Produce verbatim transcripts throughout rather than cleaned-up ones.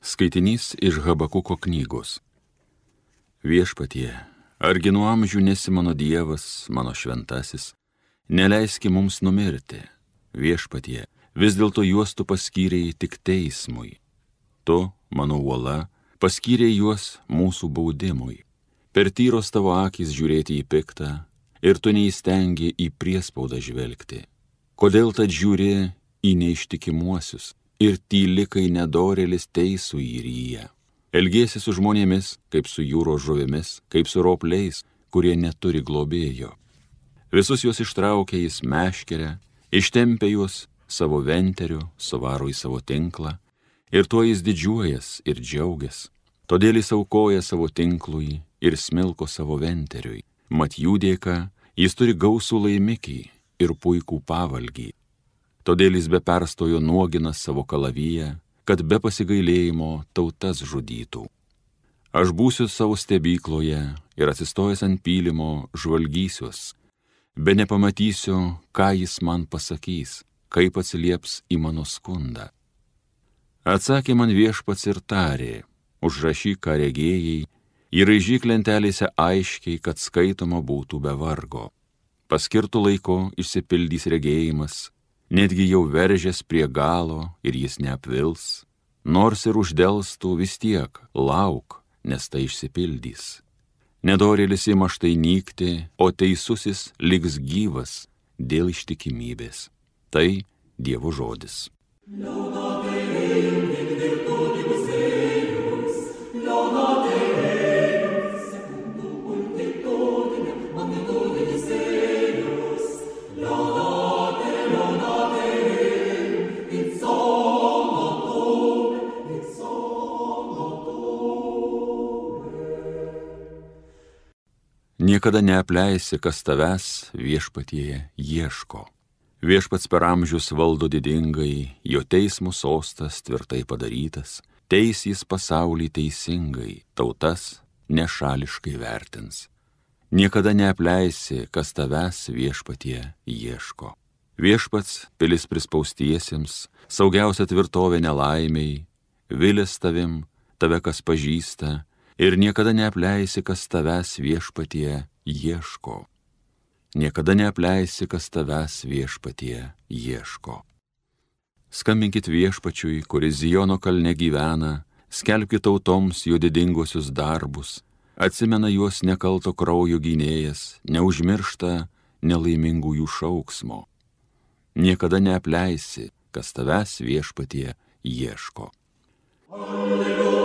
Skaitinys iš Habakuko knygos. Viešpatie, argi nuo amžių nesi mano Dievas, mano šventasis, neleiski mums numirti. Viešpatie, vis dėlto juos tu paskyrei tik teismui. Tu, mano uola, paskyrei juos mūsų baudimui. Per tyros tavo akys žiūrėti į piktą, ir tu neįstengi į priespaudą žvelgti. Kodėl tad žiūri į neištikimuosius ir tyli, kai nedorėlis teisų įryja? Elgiesi su žmonėmis, kaip su jūros žuvimis, kaip su ropliais, kurie neturi globėjo. Visus juos ištraukia jis meškerę, ištempia juos savo venteriu, suvaro į savo tinklą, ir tuo jis didžiuojas ir džiaugias. Todėl jis aukoja savo tinklui ir smilko savo venteriui. Mat jų dėka jis turi gausų laimikį ir puikų pavalgį. Todėl jis be perstojo nuogina savo kalaviją, kad be pasigailėjimo tautas žudytų. Aš būsiu savo stebykloje ir atsistojęs ant pylimo žvalgysiuos, be nepamatysiu, ką jis man pasakys, kaip atsilieps į mano skundą. Atsakė man Viešpats ir tarė, užrašyk, ką regėjai, įraižyk lentelėse aiškiai, kad skaitoma būtų be vargo. Paskirtų laiko išsipildys regėjimas, netgi jau veržės prie galo ir jis neapvils, nors ir uždelstų vis tiek, lauk, nes tai išsipildys. Nedorėlis ima štai nykti, o teisusis liks gyvas dėl ištikimybės. Tai Dievo žodis. Niekada neapleisi, kas tavęs, Viešpatie, ieško. Viešpats per amžius valdo didingai, jo teismo sostas tvirtai padarytas, teisys pasaulį teisingai, tautas nešališkai vertins. Niekada neapleisi, kas tavęs, Viešpatie, ieško. Viešpats pilis prispaustiesiems, saugiausia tvirtovė nelaimiai, vilės tavim, tave kas pažįsta, ir niekada neapleisi, kas tavęs, Viešpatie, ieško. Niekada neapleisi, kas tavęs, Viešpatie, ieško. Skambinkit Viešpačiui, kuris Ziono kalne gyvena, skelbkit tautoms jo didingosius darbus, atsimena juos nekalto kraujo gynėjas, neužmiršta nelaimingųjų šauksmo. Niekada neapleisi, kas tavęs, Viešpatie, ieško. Alleluja.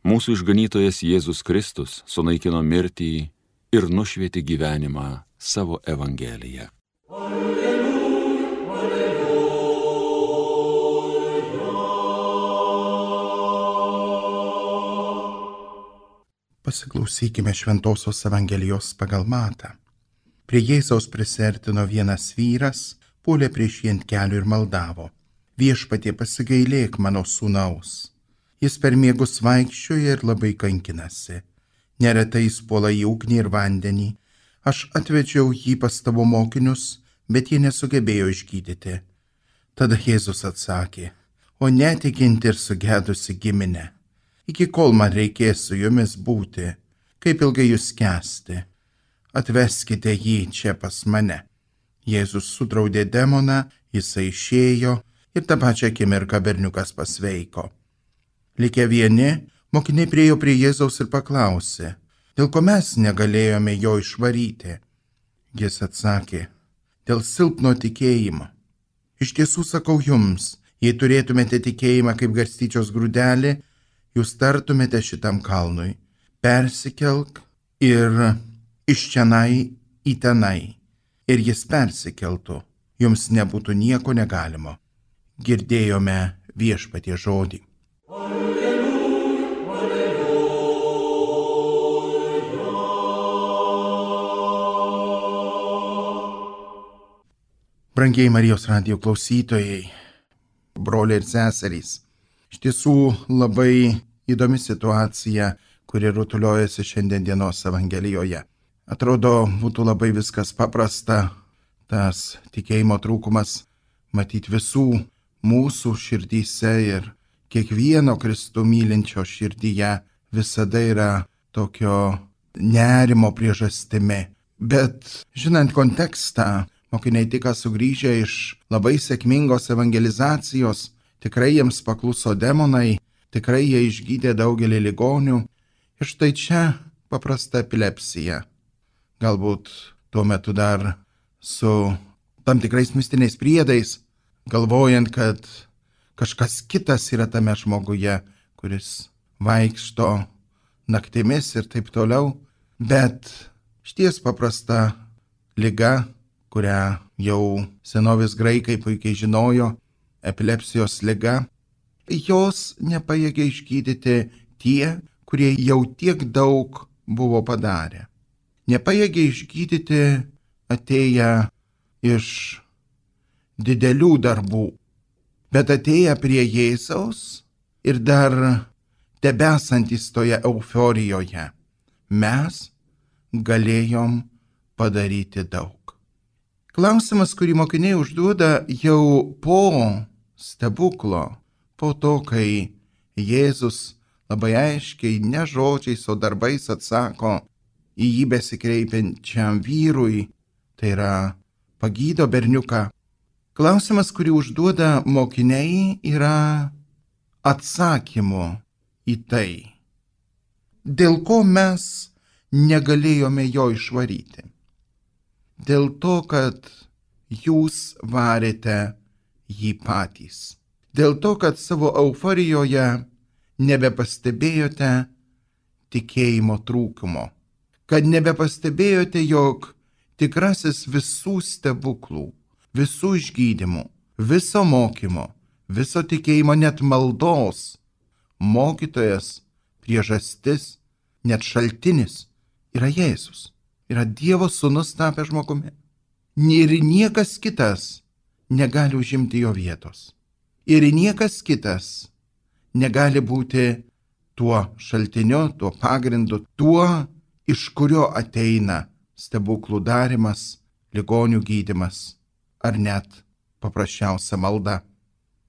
Mūsų išganytojas Jėzus Kristus sunaikino mirtį ir nušvietė gyvenimą savo Evangeliją. Alleluja, alleluja. Pasiklausykime Šventosios Evangelijos pagal Matą. Prie Jėzaus prisiartino vienas vyras, puolė prieš jį ant kelių ir maldavo: Viešpatie, pasigailėk mano sūnaus. Jis per miegus vaikščioja ir labai kankinasi. Neretai jis puola į ugnį ir vandenį. Aš atvedžiau jį pas tavo mokinius, bet jie nesugebėjo išgydyti. Tada Jėzus atsakė: O netikinti ir sugedusi giminė, iki kol man reikės su jumis būti, kaip ilgai jūs kęsti? Atveskite jį čia pas mane. Jėzus sudraudė demoną, jisai išėjo ir tą pačią akimirką berniukas pasveiko. Likę vieni, mokiniai priėjo prie Jėzaus ir paklausė: Dėl ko mes negalėjome jo išvaryti? Jis atsakė: Dėl silpno tikėjimo. Iš tiesų sakau jums, jei turėtumėte tikėjimą kaip garstyčios grūdelį, jūs tartumėte šitam kalnui: persikelk ir iš čionai į tenai, ir jis persikeltų, jums nebūtų nieko negalimo. Girdėjome Viešpaties žodį. Brangiai Marijos radijo klausytojai, broliai ir seserys, iš tiesų labai įdomi situacija, kuri rutuliojasi šiandien dienos Evangelijoje. Atrodo, būtų labai viskas paprasta, tas tikėjimo trūkumas matyti visų mūsų širdyse ir kiekvieno Kristų mylinčio širdyje visada yra tokio nerimo priežastimi. Bet žinant kontekstą, mokiniai tik sugrįžę iš labai sėkmingos evangelizacijos, tikrai jiems pakluso demonai, tikrai jie išgydė daugelį ligonių. Ir štai čia paprasta epilepsija. Galbūt tuo metu dar su tam tikrais mistiniais priedais, galvojant, kad kažkas kitas yra tame žmoguje, kuris vaikšto naktimis ir taip toliau. Bet šties paprasta liga, kurią jau senovės graikai puikiai žinojo, epilepsijos liga, jos nepajėgė išgydyti tie, kurie jau tiek daug buvo padarę. Nepajėgė išgydyti atėję iš didelių darbų, bet atėję prie Jėzaus ir dar tebesantys toje euforijoje, mes galėjom padaryti daug. Klausimas, kurį mokiniai užduoda jau po stebuklo, po to, kai Jėzus labai aiškiai, ne žodžiais, o darbais atsako į jį besikreipiančiam vyrui, tai yra pagydo berniuką. Klausimas, kurį užduoda mokiniai, yra atsakymu į tai, dėl ko mes negalėjome jo išvaryti. Dėl to, kad jūs varėte jį patys. Dėl to, kad savo euforijoje nebepastebėjote tikėjimo trūkumo. Kad nebepastebėjote, jog tikrasis visų stebuklų, visų išgydymų, viso mokymo, viso tikėjimo, net maldos, mokytojas, priežastis, net šaltinis yra Jėzus. Yra Dievo sūnus tapęs žmogumi. Ir niekas kitas negali užimti jo vietos. Ir niekas kitas negali būti tuo šaltiniu, tuo pagrindu, tuo, iš kurio ateina stebuklų darimas, ligonių gydymas ar net paprasčiausia malda.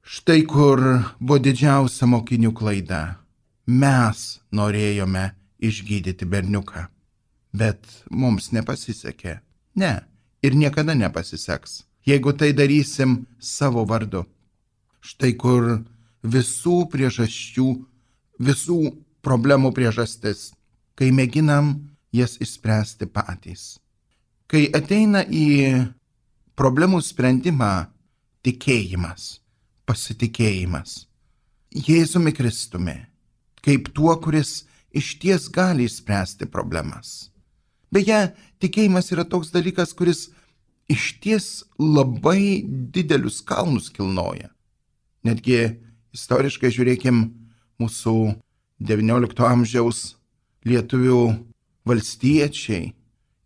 Štai kur buvo didžiausia mokinių klaida. Mes norėjome išgydyti berniuką. Bet mums nepasisekė. Ne, ir niekada nepasiseks, jeigu tai darysim savo vardu. Štai kur visų priežasčių, visų problemų priežastis, kai mėginam jas išspręsti patys. Kai ateina į problemų sprendimą tikėjimas, pasitikėjimas Jėzumi Kristumi, kaip tuo, kuris išties gali išspręsti problemas. Beje, tikėjimas yra toks dalykas, kuris išties labai didelius kalnus kilnoja. Netgi istoriškai žiūrėkim mūsų devyniolikto amžiaus lietuvių valstiečiai,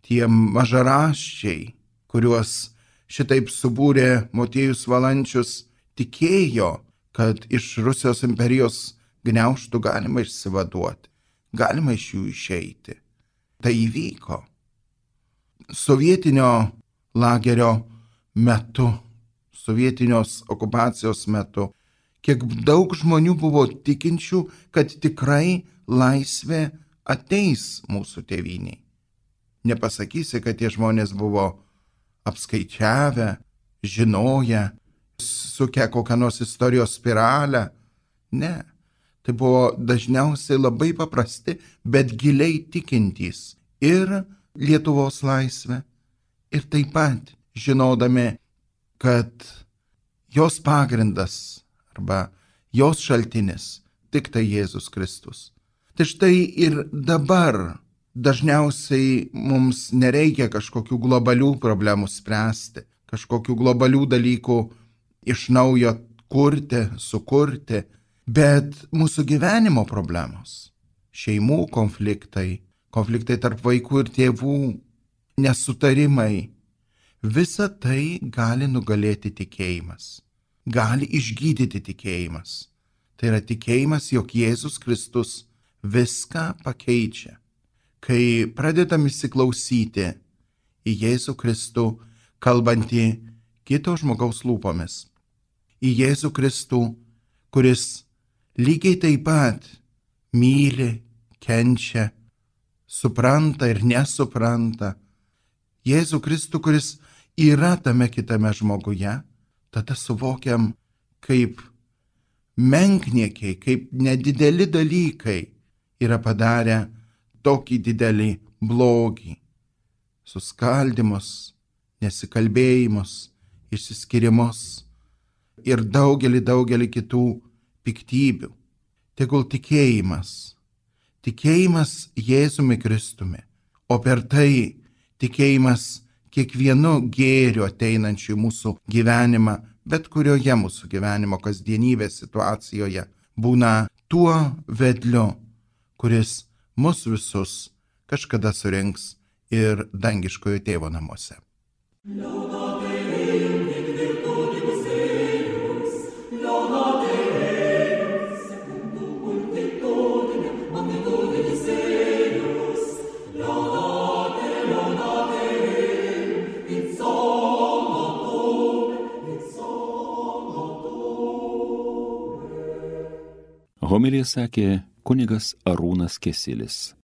tie mažaraščiai, kuriuos šitaip subūrė Motiejus Valančius, tikėjo, kad iš Rusijos imperijos gniaužtų galima išsivaduoti, galima iš jų išeiti. Tai įvyko. Sovietinio lagerio metu, sovietinios okupacijos metu, kiek daug žmonių buvo tikinčių, kad tikrai laisvė ateis mūsų tėvynei. Nepasakysi, kad tie žmonės buvo apskaičiavę, žinoję, sukę kokią nors istorijos spiralę. Ne. Tai buvo dažniausiai labai paprasti, bet giliai tikintys ir Lietuvos laisvę, ir taip pat žinodami, kad jos pagrindas arba jos šaltinis tik tai Jėzus Kristus. Tai štai ir dabar dažniausiai mums nereikia kažkokių globalių problemų spręsti, kažkokių globalių dalykų iš naujo kurti, sukurti, bet mūsų gyvenimo problemos, šeimų konfliktai, konfliktai tarp vaikų ir tėvų, nesutarimai, visa tai gali nugalėti tikėjimas, gali išgydyti tikėjimas. Tai yra tikėjimas, jog Jėzus Kristus viską pakeičia. Kai pradedam įsiklausyti į Jėzų Kristų, kalbantį kito žmogaus lūpomis, į Jėzų Kristų, kuris lygiai taip pat myli, kenčia, supranta ir nesupranta. Jėzų Kristų, kuris yra tame kitame žmoguje, tada suvokiam, kaip menkniekiai, kaip nedideli dalykai yra padarę tokį didelį blogį. Suskaldimus, nesikalbėjimus, išsiskirimus ir daugelį, daugelį kitų piktybių. Tegul tikėjimas, tikėjimas Jėzumi Kristumi, o per tai tikėjimas kiekvienu gėriu ateinančiu į mūsų gyvenimą, bet kurioje mūsų gyvenimo kasdienybės situacijoje, būna tuo vedliu, kuris mus visus kažkada surinks ir dangiškojo tėvo namuose. Homiliją sakė kunigas Arūnas Kesilis.